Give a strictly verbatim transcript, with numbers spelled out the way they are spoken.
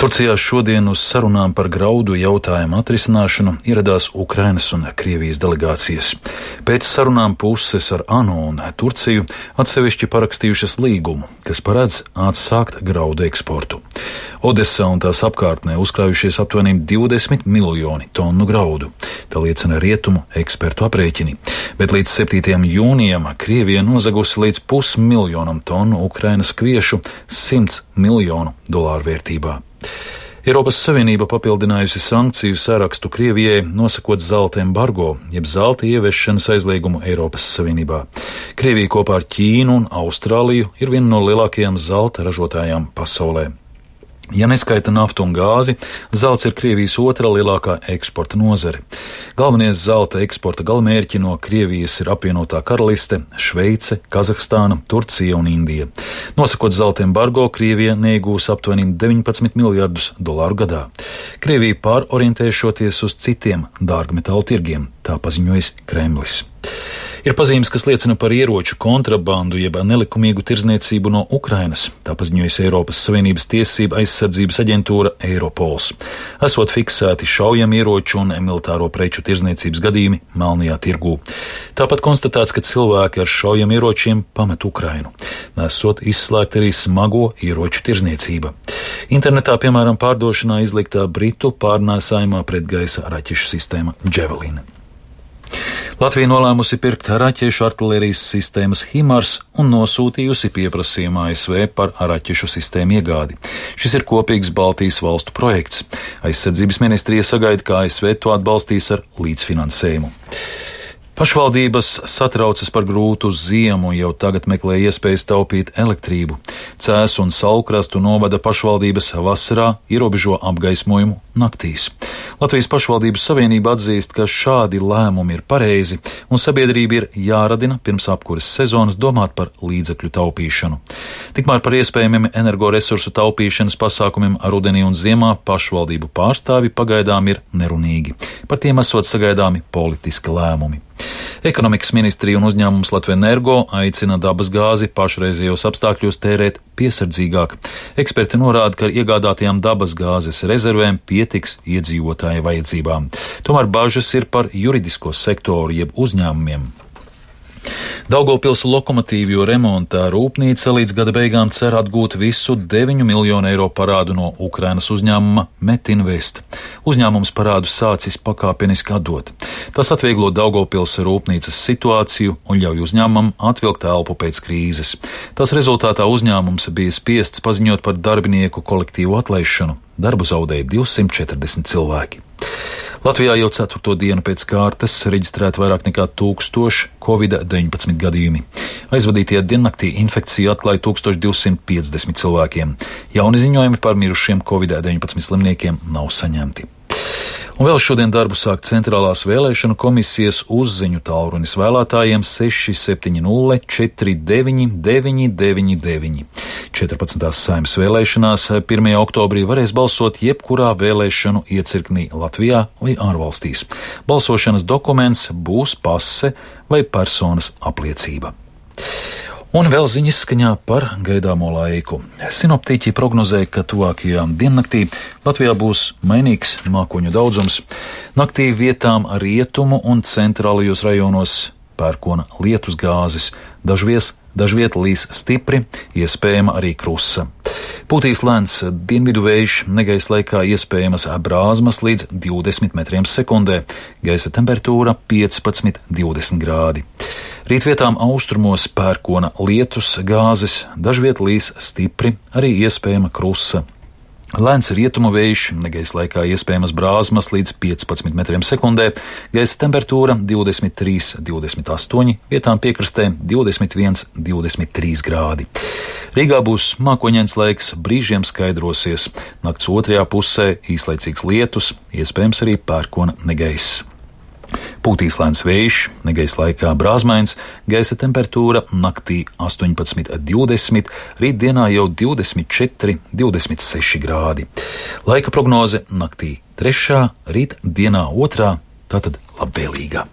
Turcijā šodien uz sarunām par graudu jautājumu atrisināšanu ieradās Ukrainas un Krievijas delegācijas. Pēc sarunām puses ar ANO un Turciju atsevišķi parakstījušas līgumu, kas paredz atsākt graudu eksportu. Odesā un tās apkārtnē uzkrājušies aptuveni divdesmit miljoni tonu graudu. Tā liecina rietumu ekspertu aprēķini. Bet līdz septītajam jūnijam Krievija nozagusi līdz pusmiljonam tonu Ukrainas kviešu simts miljonu dolāru vērtībā. Eiropas Savienība papildinājusi sankciju sarakstu Krievijai, nosakot zelta embargo, jeb zelta ieviešanas aizliegumu Eiropas Savienībā. Krievija kopā ar Ķīnu un Austrāliju ir viena no lielākajām zelta ražotājām pasaulē. Ja neskaita naftu un gāzi, zelts ir Krievijas otrā lielākā eksporta nozare. Galvenie zelta eksporta galamērķi no Krievijas ir apvienotā Karaliste, Šveice, Kazahstāna, Turcija un Indija. Nosakot zelta embargo, Krievija neiegūs aptuveni deviņpadsmit miljardus dolāru gadā. Krievija pārorientēšoties uz citiem dārgmetālu tirgiem, tā paziņojis Kremlis. Ir pazīmes, kas liecina par ieroču kontrabandu jeb nelikumīgu tirdzniecību no Ukrainas, tā paziņojusi Eiropas Savienības tiesība aizsardzības aģentūra Eiropols. Esot fiksēti šaujamieroču un militāro preču tirdzniecības gadījumi Melnajā tirgū. Tāpat konstatēts, ka cilvēki ar šaujamieročiem pamet Ukrainu. Nesot izslēgta arī smago ieroču tirdzniecība. Internetā, piemēram, pārdošanā izliktā britu pārnēsājumā pretgaisa raķešu sistēma Javelin. Latvija nolēmusi pirkt raķešu artilērijas sistēmas HIMARS un nosūtījusi pieprasījumu A S V par raķešu sistēmu iegādi. Šis ir kopīgs Baltijas valstu projekts. Aizsardzības ministrija sagaida, ka A S V to atbalstīs ar līdzfinansējumu. Pašvaldības satraucas par grūtu ziemu, jau tagad meklē iespējas taupīt elektrību. Cēsu un Saulkrastu novada pašvaldības vasarā ierobežo apgaismojumu naktīs. Latvijas pašvaldības savienība atzīst, ka šādi lēmumi ir pareizi un sabiedrība ir jāradina pirms apkuras sezonas domāt par līdzekļu taupīšanu. Tikmēr par iespējamiem energoresursu taupīšanas pasākumiem rudenī un ziemā pašvaldību pārstāvi pagaidām ir nerunīgi. Par tiem esot sagaidāmi politiski lēmumi. Ekonomikas ministrija un uzņēmums Latvenergo aicina dabas gāzi pašreizējos apstākļos tērēt piesardzīgāk. Eksperti norāda, ka ar iegādātajām dabas gāzes rezervēm pietiks iedzīvotāju vajadzībām. Tomēr bažas ir par juridisko sektoru jeb uzņēmumiem. Daugavpils lokomotīvju remontā rūpnīca līdz gada beigām cer atgūt visu deviņu miljonu eiro parādu no Ukrainas uzņēmuma Metinvest. Uzņēmums parādu sācis pakāpeniski atdot. Tas atvieglo Daugavpils rūpnīcas situāciju un ļauj uzņēmumam atvilkt elpu pēc krīzes. Tas rezultātā uzņēmums bija spiests paziņot par darbinieku kolektīvu atlaišanu. Darbu zaudēja divsimt četrdesmit cilvēki. Latvijā jau ceturto dienu pēc kārtas reģistrēta vairāk nekā tūkstoši covid deviņpadsmit gadījumi. Aizvadītajā diennaktī infekciju atklāja tūkstoš divsimt piecdesmit cilvēkiem. Jauni ziņojumi par mirušiem covid deviņpadsmit slimniekiem nav saņemti. Un vēl šodien darbu sāk centrālās vēlēšanu komisijas uzziņu tālrunis vēlētājiem seši septiņi nulle četri deviņi deviņi deviņi deviņi. četrpadsmitās Saeimas vēlēšanās pirmajā oktobrī varēs balsot jebkurā vēlēšanu iecirknī Latvijā vai ārvalstīs. Balsošanas dokuments būs pase vai personas apliecība. Un vēl ziņas skaņā par gaidāmo laiku. Sinoptiķi prognozē, ka tuvākajā diennaktī Latvijā būs mainīgs mākoņu daudzums. Naktī vietām rietumu un centrālajos rajonos pērkona lietus gāzes, dažvies, dažviet līs stipri, iespējama arī krusa. Pūtīs lēns dienvidu vējš, negaisa laikā iespējamas brāzmas līdz divdesmit metriem sekundē, gaisa temperatūra piecpadsmit līdz divdesmit grādi. Rītvietām austrumos pērkona lietus gāzes, dažviet līs stipri, arī iespējama krusa. Lēns rietumu vējš, negaisa laikā iespējamas brāzmas līdz piecpadsmit metriem sekundē, gaisa temperatūra divdesmit trīs līdz divdesmit astoņi, vietām piekrastē divdesmit viens līdz divdesmit trīs grādi. Rīgā būs mākoņains laiks, brīžiem skaidrosies. Nakts otrajā pusē īslaicīgs lietus, iespējams arī pērkona negaiss. Pūtīs lēns vējš, negaisa laikā brāzmains, gaisa temperatūra naktī astoņpadsmit līdz divdesmit, rītdienā jau divdesmit četri līdz divdesmit seši grādi. Laika prognoze naktī trešā, rīt dienā otrā, tātad labvēlīga.